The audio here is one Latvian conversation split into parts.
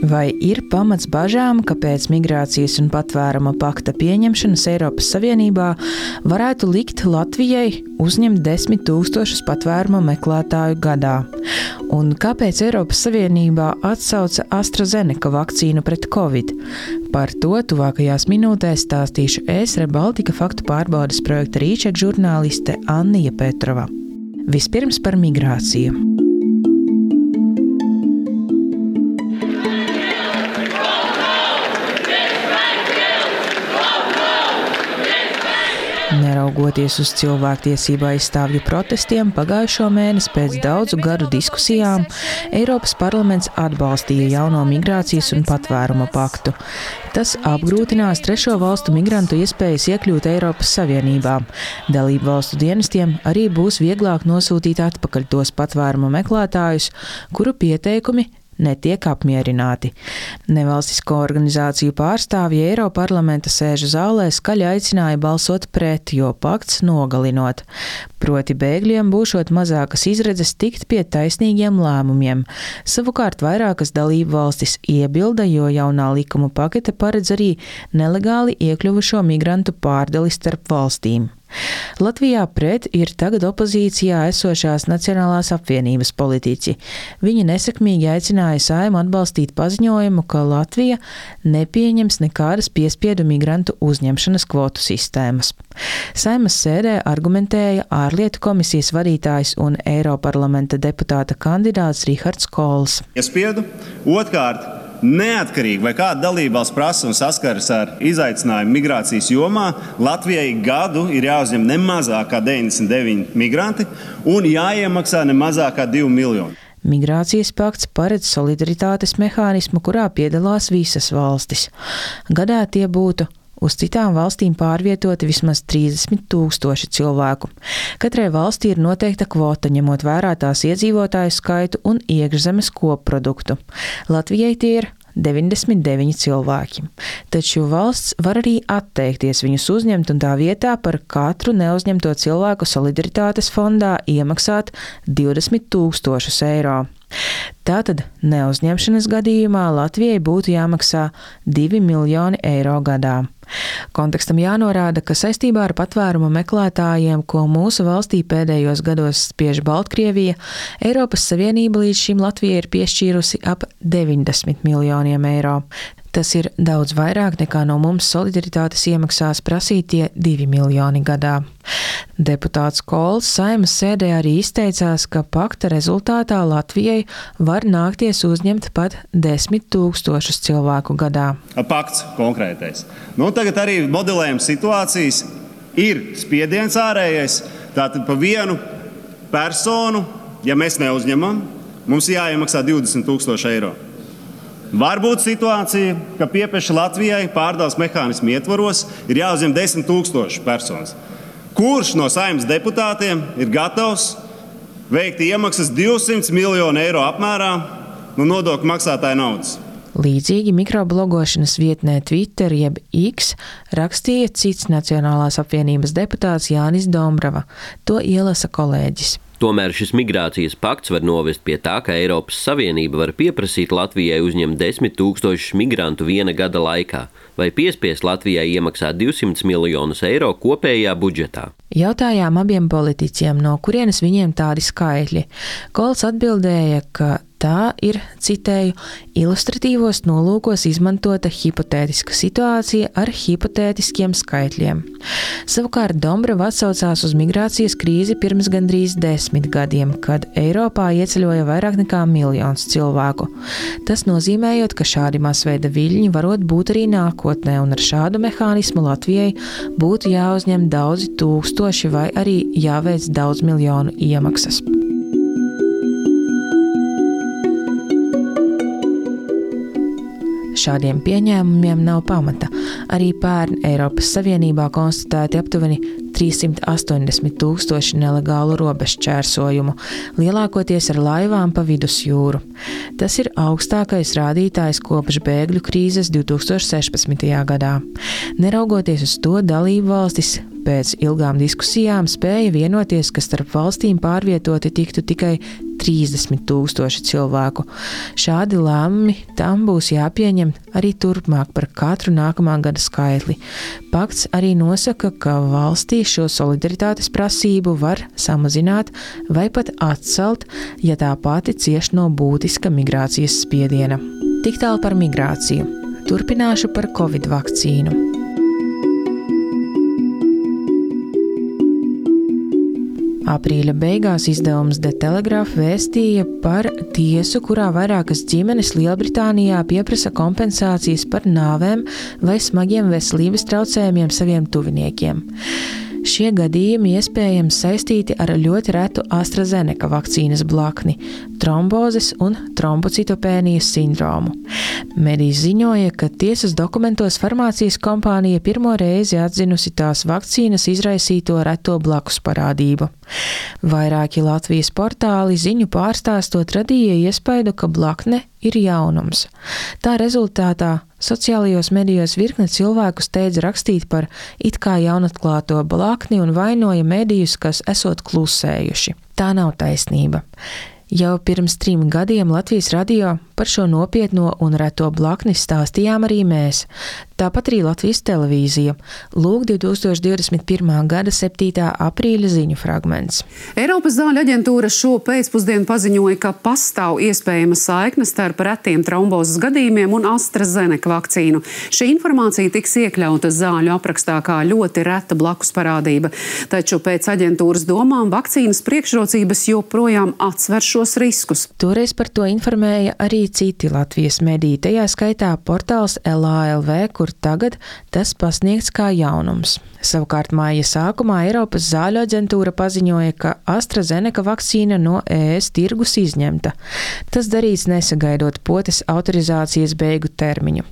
Vai ir pamats bažām, ka pēc migrācijas un patvēruma pakta pieņemšanas Eiropas Savienībā varētu likt Latvijai uzņemt 10 000 patvēruma meklētāju gadā? Un kāpēc Eiropas Savienībā atsauca AstraZeneca vakcīnu pret Covid? Par to tuvākajās minūtēs stāstīšu es, Rebaltika faktu pārbaudes projekta Rīčeka žurnāliste Annija Petrova. Vispirms par migrāciju. Neraugoties uz cilvēktiesību aizstāvju protestiem, pagājušo mēnesi pēc daudzu gadu diskusijām Eiropas parlaments atbalstīja jauno migrācijas un patvēruma paktu. Tas apgrūtinās trešo valstu migrantu iespējas iekļūt Eiropas Savienībā. Dalību valstu dienestiem arī būs vieglāk nosūtīt atpakaļ tos patvēruma meklētājus, kuru pieteikumi netiek apmierināti. Nevalstisko organizāciju pārstāvji Eiroparlamenta sēžu zālē skaļi aicināja balsot pret, jo pakts nogalinot. Proti bēgļiem būšot mazākas izredzes tikt pie taisnīgiem lēmumiem. Savukārt vairākas dalību valstis iebilda, jo jaunā likuma pakete paredz arī nelegāli iekļuvušo migrantu pārdali starp valstīm. Latvijā pret ir tagad opozīcijā esošās Nacionālās apvienības politiķi. Viņi nesekmīgi aicināja Saeimu atbalstīt paziņojumu, ka Latvija nepieņems nekādas piespiedu migrantu uzņemšanas kvotu sistēmas. Saeimas sēdē argumentēja ārlietu komisijas vadītājs un Eiroparlamenta deputāta kandidāts Rihards Kols. Piespiedu, otrkārt, neatkarīgi vai kāda dalībvalsts prasa un saskaras ar izaicinājumu migrācijas jomā, Latvijai gadu ir jāuzņem ne mazāk kā 99 migranti un jāiemaksā ne mazāk kā 2 miljoni. Migrācijas pakts paredz solidaritātes mehānismu, kurā piedalās visas valstis. Gadā tie būtu uz citām valstīm pārvietoti vismaz 30 000 cilvēku. Katrai valstī ir noteikta kvota, ņemot vērā tās iedzīvotāju skaitu un iekšzemes kopproduktu. Latvijai tie ir 99 cilvēki. Taču valsts var arī atteikties viņus uzņemt un tā vietā par katru neuzņemto cilvēku solidaritātes fondā iemaksāt 20 000 eiro. Tātad neuzņemšanas gadījumā Latvijai būtu jāmaksā 2 miljoni eiro gadā. Kontekstam jānorāda, ka saistībā ar patvēruma meklētājiem, ko mūsu valstī pēdējos gados spiež Baltkrievija, Eiropas Savienība līdz šim Latvijai ir piešķīrusi ap 90 miljoniem eiro. Tas ir daudz vairāk nekā no mums solidaritātes iemaksās prasītie 2 miljoni gadā. Deputāts Kols Saeimas sēdē arī izteicās, ka pakta rezultātā Latvijai var nākties uzņemt pat 10 000 cilvēku gadā. Pakts konkrētais. Tagad arī modelējam situācijas. Ir spiediens ārējais, tātad pa vienu personu, ja mēs neuzņemam, mums jāiemaksā 20 000 eiro. Var būt situācija, ka piepeša Latvijai pārdales mehānismu ietvaros ir jāuzņem 10 000 personas. Kurš no Saeimas deputātiem ir gatavs veikt iemaksas 200 miljonu eiro apmērā no nodokļu maksātāja naudas? Līdzīgi mikroblogošanas vietnē Twitter jeb X rakstīja cits Nacionālās apvienības deputāts Jānis Dombrava. To ielasa kolēģis. Tomēr šis migrācijas pakts var novest pie tā, ka Eiropas Savienība var pieprasīt Latvijai uzņemt 10 000 migrantu viena gada laikā, vai piespiest Latvijai iemaksāt 200 miljonus eiro kopējā budžetā. Jautājām abiem politiķiem, no kurienes viņiem tādi skaitļi. Kols atbildēja, ka tā ir, citēju, ilustratīvos nolūkos izmantota hipotētiska situācija ar hipotētiskiem skaitļiem. Savukārt Dombrava atsaucās uz migrācijas krīzi pirms gandrīz 10 gadiem, kad Eiropā ieceļoja vairāk nekā 1 miljons cilvēku. Tas nozīmējot, ka šādi masveida viļņi varot būt arī nākotnē, un ar šādu mehānismu Latvijai būtu jāuzņem daudzi tūkstoši vai arī jāveic daudz miljonu iemaksas. Šādiem pieņēmumiem nav pamata. Arī pērn Eiropas Savienībā konstatēti aptuveni 380 000 nelegālu robežu čērsojumu, lielākoties ar laivām pa vidusjūru. Tas ir augstākais rādītājs kopš bēgļu krīzes 2016. gadā. Neraugoties uz to, dalību valstis pēc ilgām diskusijām spēja vienoties, ka starp valstīm pārvietoti tiktu tikai 130,000 cilvēku. Šādi lēmumi tam būs jāpieņem arī turpmāk par katru nākamā gada skaitli. Pakts arī nosaka, ka valstī šo solidaritātes prasību var samazināt vai pat atcelt, ja tā pati cieš no būtiska migrācijas spiediena. Tik tālu par migrāciju. Turpināšu par Covid vakcīnu. Aprīļa beigās izdevums The Telegraph vēstīja par tiesu, kurā vairākas ģimenes Lielbritānijā pieprasa kompensācijas par nāvēm vai smagiem veselības traucējumiem saviem tuviniekiem. Šie gadījumi iespējams saistīti ar ļoti retu AstraZeneca vakcīnas blakni – trombozes un trombocitopēnijas sindromu. Mediji ziņoja, ka tiesas dokumentos farmācijas kompānija pirmo reizi atzinusi tās vakcīnas izraisīto reto blakus parādību. Vairāki Latvijas portāli ziņu pārstāstot radīja iespaidu, ka blakne ir jaunums. Tā rezultātā sociālajos medijos virkne cilvēku steidz rakstīt par it kā jaunatklāto blakni un vainoja medijus, kas esot klusējuši. Tā nav taisnība. Jau pirms 3 gadiem Latvijas radio par šo nopietno un reto blakni stāstījām arī mēs. Tāpat arī Latvijas televīzija. Lūk 2021. gada 7. aprīļa ziņu fragments. Eiropas zāļu aģentūra šo pēcpusdienu paziņoja, ka pastāv iespējama saikne starp retiem trombozes gadījumiem un AstraZeneca vakcīnu. Šī informācija tiks iekļauta zāļu aprakstā kā ļoti reta blakus parādība. Taču pēc aģentūras domām vakcīnas priekšrocības joprojām atsver šos riskus. Toreiz par to informēja arī citi Latvijas mediji, tajā skaitā portāls LALV, kur tagad tas pasniegts kā jaunums. Savukārt māja sākumā Eiropas zāļu aģentūra paziņoja, ka AstraZeneca vakcīna no ES tirgus izņemta. Tas darīts nesagaidot potes autorizācijas beigu termiņu.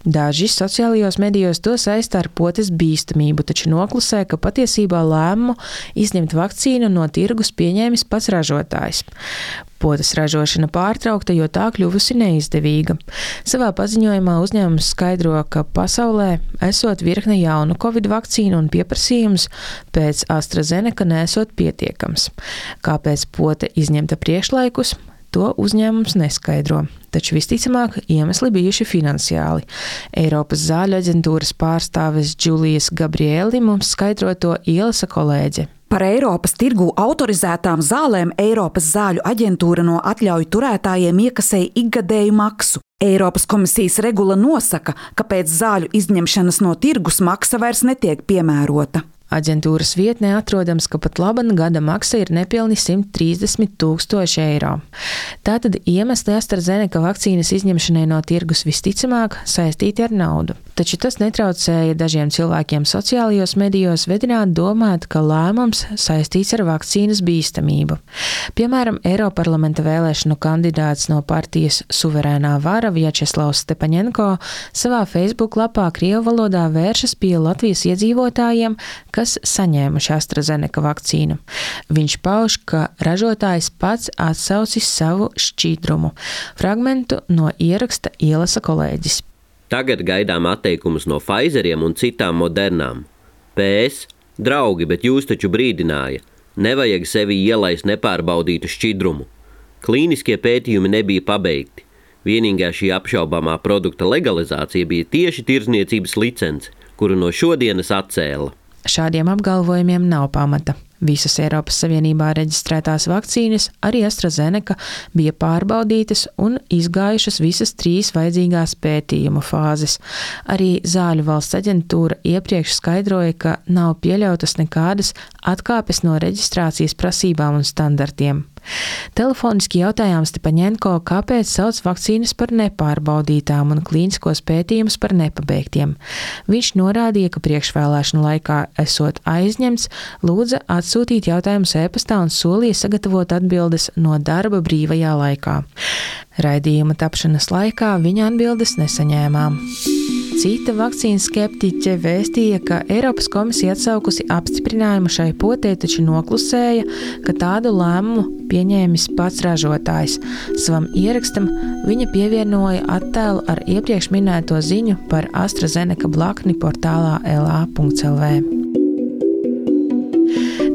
Daži sociālajos medijos to saista ar potes bīstamību, taču noklusē, ka patiesībā lēmumu izņemt vakcīnu no tirgus pieņēmis pats ražotājs. Potes ražošana pārtraukta, jo tā kļuvusi neizdevīga. Savā paziņojumā uzņēmums skaidro, ka pasaulē esot virkne jaunu Covid vakcīnu un pieprasījums pēc AstraZeneca nesot pietiekams. Kāpēc pote izņemta priekšlaikus, to uzņēmums neskaidro. Taču visticamāk iemesli bijuši finansiāli. Eiropas zāļu aģentūras pārstāves Džulijas Gabrieli mums skaidro to ielasa kolēģe. Par Eiropas tirgū autorizētām zālēm Eiropas zāļu aģentūra no atļauju turētājiem iekasēja ikgadēju maksu. Eiropas komisijas regula nosaka, ka pēc zāļu izņemšanas no tirgus maksa vairs netiek piemērota. Aģentūras vietnē atrodams, ka pat laban gada maksa ir nepilni 130,000 eiro. Tātad iemesli AstraZeneca vakcīnas izņemšanai no tirgus visticamāk saistīti ar naudu. Taču tas netraucēja dažiem cilvēkiem sociālajos medijos vedināt domāt, ka lēmums saistīts ar vakcīnas bīstamību. Piemēram, Eiroparlamenta vēlēšanu kandidāts no partijas Suverēnā vara Vjačeslavs Stepaņenko savā Facebook lapā krievu valodā vēršas pie Latvijas iedzīvotājiem, kas saņēmuši AstraZeneca vakcīnu. Viņš pauž, ka ražotājs pats atsaucis savu šķīdrumu. Fragmentu no ieraksta ielasa kolēģis. Tagad gaidām atteikumus no Pfizeriem un citām modernām. PS, draugi, bet jūs taču brīdināja. Nevajag sevi ielaist nepārbaudītu šķidrumu. Klīniskie pētījumi nebija pabeigti. Vienīgā šī apšaubāmā produkta legalizācija bija tieši tirdzniecības licence, kuru no šodienas atcēla. Šādiem apgalvojumiem nav pamata. Visas Eiropas Savienībā reģistrētās vakcīnas, arī AstraZeneca, bija pārbaudītas un izgājušas visas 3 vajadzīgās pētījumu fāzes. Arī Zāļu valsts aģentūra iepriekš skaidroja, ka nav pieļautas nekādas atkāpes no reģistrācijas prasībām un standartiem. Telefoniski jautājām Stepaņenko, kāpēc sauc vakcīnas par nepārbaudītām un klīniskos pētījumus par nepabeigtiem. Viņš norādīja, ka priekšvēlēšanu laikā esot aizņemts, lūdza atsūtīt jautājumus e-pastā un solīja sagatavot atbildes no darba brīvajā laikā. Raidījuma tapšanas laikā viņa atbildes nesaņēmām. Cita vakcīnas skeptiķe vēstīja, ka Eiropas komisija atsaukusi apstiprinājumu šai potē, taču noklusēja, ka tādu lēmumu pieņēmis pats ražotājs. Savam ierakstam viņa pievienoja attēlu ar iepriekš minēto ziņu par AstraZeneca blakni portālā la.lv.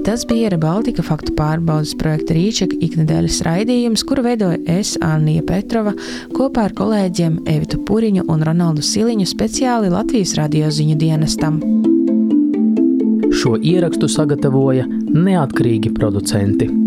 Tas bija Baltika faktu pārbaudes projekta Rīčeka iknedēļas raidījums, kuru veidoja es, Annija Petrova, kopā ar kolēģiem Evitu Puriņu un Ronaldu Siliņu speciāli Latvijas radio ziņu dienestam. Šo ierakstu sagatavoja neatkarīgi producenti.